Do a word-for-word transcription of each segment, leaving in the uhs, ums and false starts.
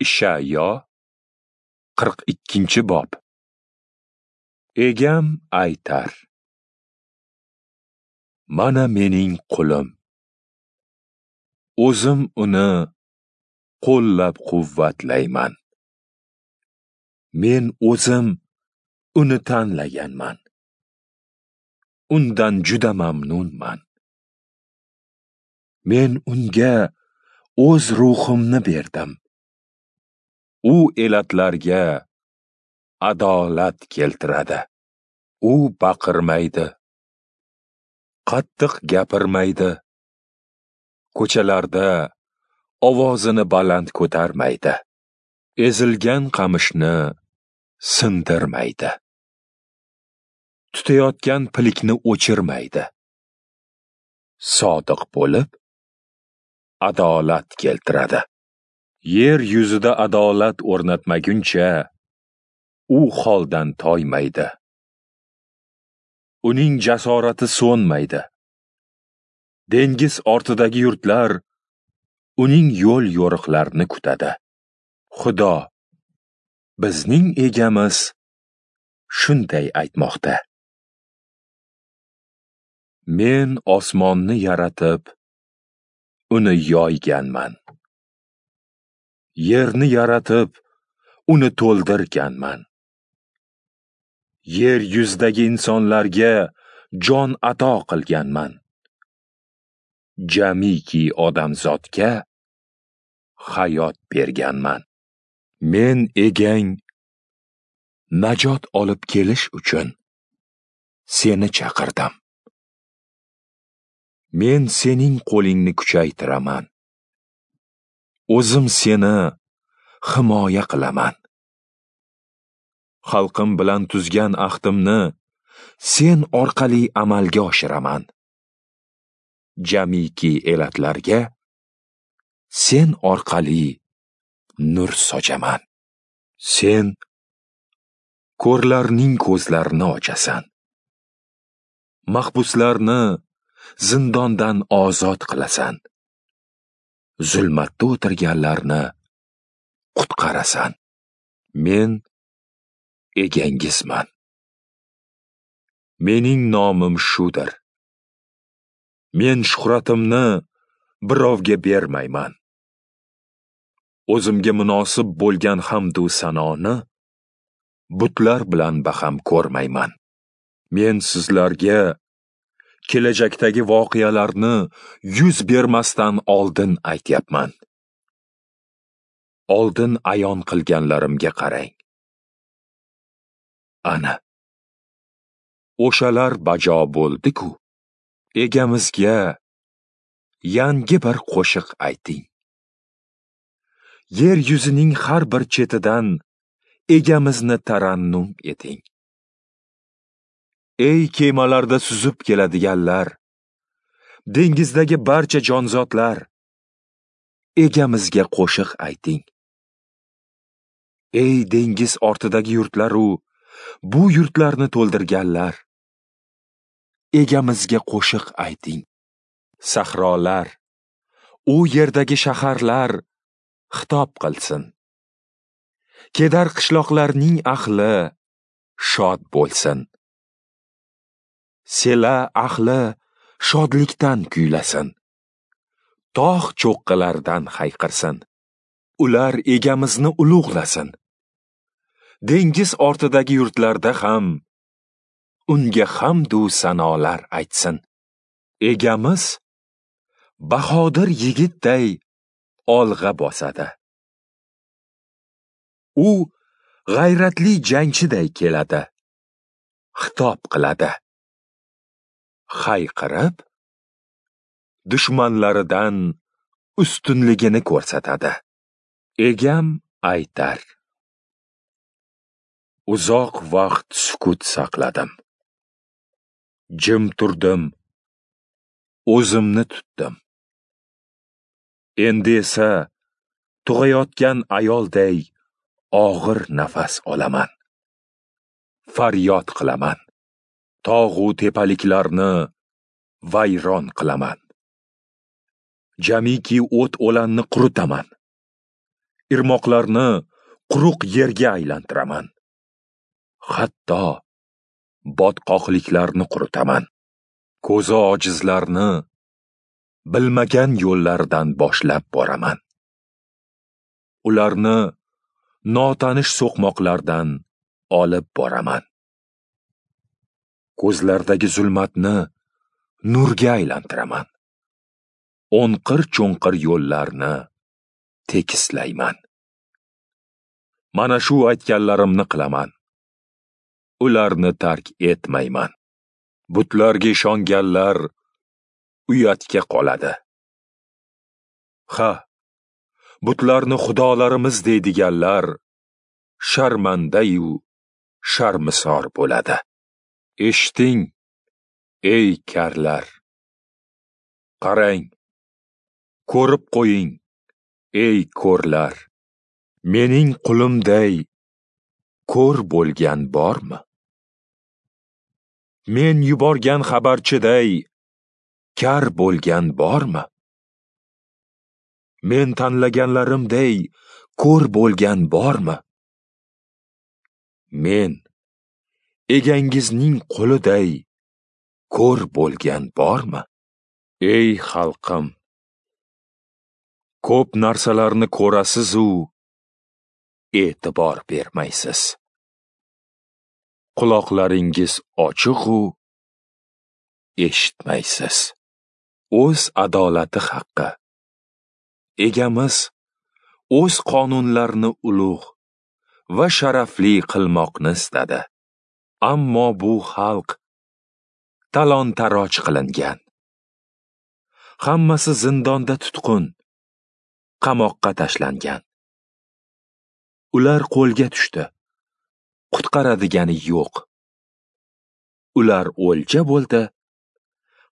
Ishayo qirq ikkinchi bob. Egam aytar: Mana mening qulim. O'zim uni qo'llab-quvvatlayman. Men o'zim uni tanlaganman. Undan juda mamnunman. Men unga o'z ruhimni berdim. U elatlarga adolat keltiradi. U baqirmaydi, qattiq gapirmaydi. Ko'chalarda ovozini baland ko'tarmaydi. Ezilgan qamishni sindirmaydi. Tutayotgan pilikni o'chirmaydi. Sodiq bo'lib adolat keltiradi. Yer yuzida adolat o'rnatmaguncha u holdan toymaydi. Uning jasorati so'nmaydi. Dengiz ortidagi yurtlar uning yo'l yo'riqlarini kutadi. Xudo, bizning egamiz shunday aytmoqda: Men osmonni yaratib, uni yoyganman. Yerni yaratib, uni to'ldirganman. Yer yuzidagi insonlarga jon ato qilganman. Jamiki odamzodga hayot berganman. Men egang najot olib kelish uchun seni chaqirdim. Men sening qo'lingni kuchaytiraman. O'zim seni himoya qilaman. Xalqim bilan tuzgan ahdimni sen orqali amalga oshiraman. Jamiki elatlarga sen orqali nur sochaman. Sen ko'rlarning ko'zlarini ochasan. Mahbuslarni zindondan ozod qilasan. Zulmatda o'tirganlarni qutqarasan. Men egangizman. Mening nomim shudir. Men shuhratimni birovga bermayman. O'zimga munosib bo'lgan hamdu sanoni butlar bilan baham ko'rmayman. Men sizlarga kelajakdagi voqealarni yuz bermasdan oldin aytyapman. Oldin ayon qilganlarimga qarang. Ana o'shalar bajo bo'ldi-ku. Egamizga yangi bir qo'shiq ayting. Yer yuzining har bir chetidan egamizni tarannum eting. Ey kemalarda suzib keladiganlar, dengizdagi barcha jonzotlar, egamizga qo'shiq ayting. Ey dengiz ortidagi yurtlar-u, bu yurtlarni to'ldirganlar, egamizga qo'shiq ayting. Sahrolar, u yerdagi shaharlar xitob qilsin. Kedar qishloqlarning ahli shod bo'lsin. Sela ahli shodlikdan kuylasin. Tog' cho'qqilaridan hayqirsin. Ular egamizni ulug'lasin. Dengiz ortidagi yurtlarda ham unga hamdu sanolar aytsin. Egamiz bahodir yigitday olg'a bosadi. U g'ayratli jangchiday keladi. Xitob qiladi. Hayqirib dushmanlaridan ustunligini ko'rsatadi. Egam aytar: Uzoq vaqt sukut saqladim. Jim turdim. O'zimni tutdim. Endi esa tug'ayotgan ayolday og'ir nafas olaman. Faryod qilaman. Tog'u tepaliklarni vayron qilaman. Jamiki o't o'lanni quritaman. Irmoqlarni quruq yerga aylantiraman. Hatto botqoqliklarni quritaman. Ko'zi ojizlarni bilmagan yo'llardan boshlab boraman. Ularni notanish so'qmoqlardan olib boraman. Ko'zlardagi zulmatni nurga aylantiraman. O'nqir-cho'nqir yo'llarni tekislayman. Mana shu aytganlarimni qilaman. Ularni tark etmayman. Butlarga ishonganlar uyatga qoladi. Ha, butlarni xudolarimiz deydiganlar sharmandayu sharmisor bo'ladi. Eshiting, ey karlar. Qarang, ko'rib qo'ying, ey ko'rlar. Mening qulimday ko'r bo'lgan bormi? Men yuborgan xabarchiday kar bo'lgan bormi? Men tanlaganlarimday ko'r bo'lgan bormi? Men egangizning quliday ko'r bo'lgan bormi? Ey xalqim, ko'p narsalarni ko'rasiz-u, e'tibor bermaysiz. Quloqlaringiz ochiq-u, eshitmaysiz. O'z adolati haqqi. Egamiz o'z qonunlarini ulug' va sharafli qilmoqni istadi. Ammo bu xalq talon-taroj qilingan. Hammasi zindonda tutqun, qamoqqa tashlangan. Ular qo'lga tushdi, qutqaradigani yo'q. Ular o'lja bo'ldi,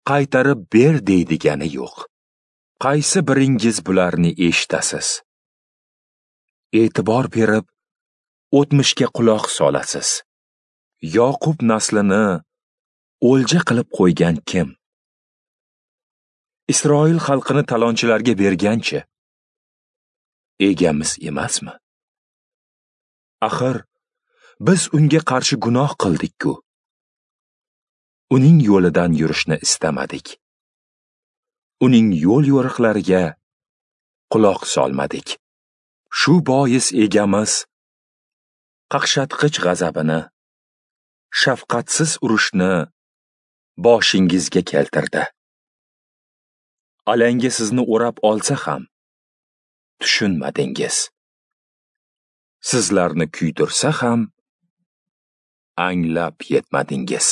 qaytarib ber deydigani yo'q. Qaysi biringiz bularni eshitasiz? E'tibor berib, o'tmishga quloq solasiz. Yoqub naslini o'lja qilib qo'ygan kim? Isroil xalqini talonchilarga berganchi? Egamiz emasmi? Axir, biz unga qarshi gunoh qildik-ku. Uning yo'lidan yurishni istamadik. Uning yo'l yo'riqlariga quloq solmadik. Shu bois egamiz qaqshatqich g'azabini, shafqatsiz urushni boshingizga keltirdi. Alanga sizni o'rab olsa ham tushunmadingiz. Sizlarni kuydirsa ham anglab yetmadingiz.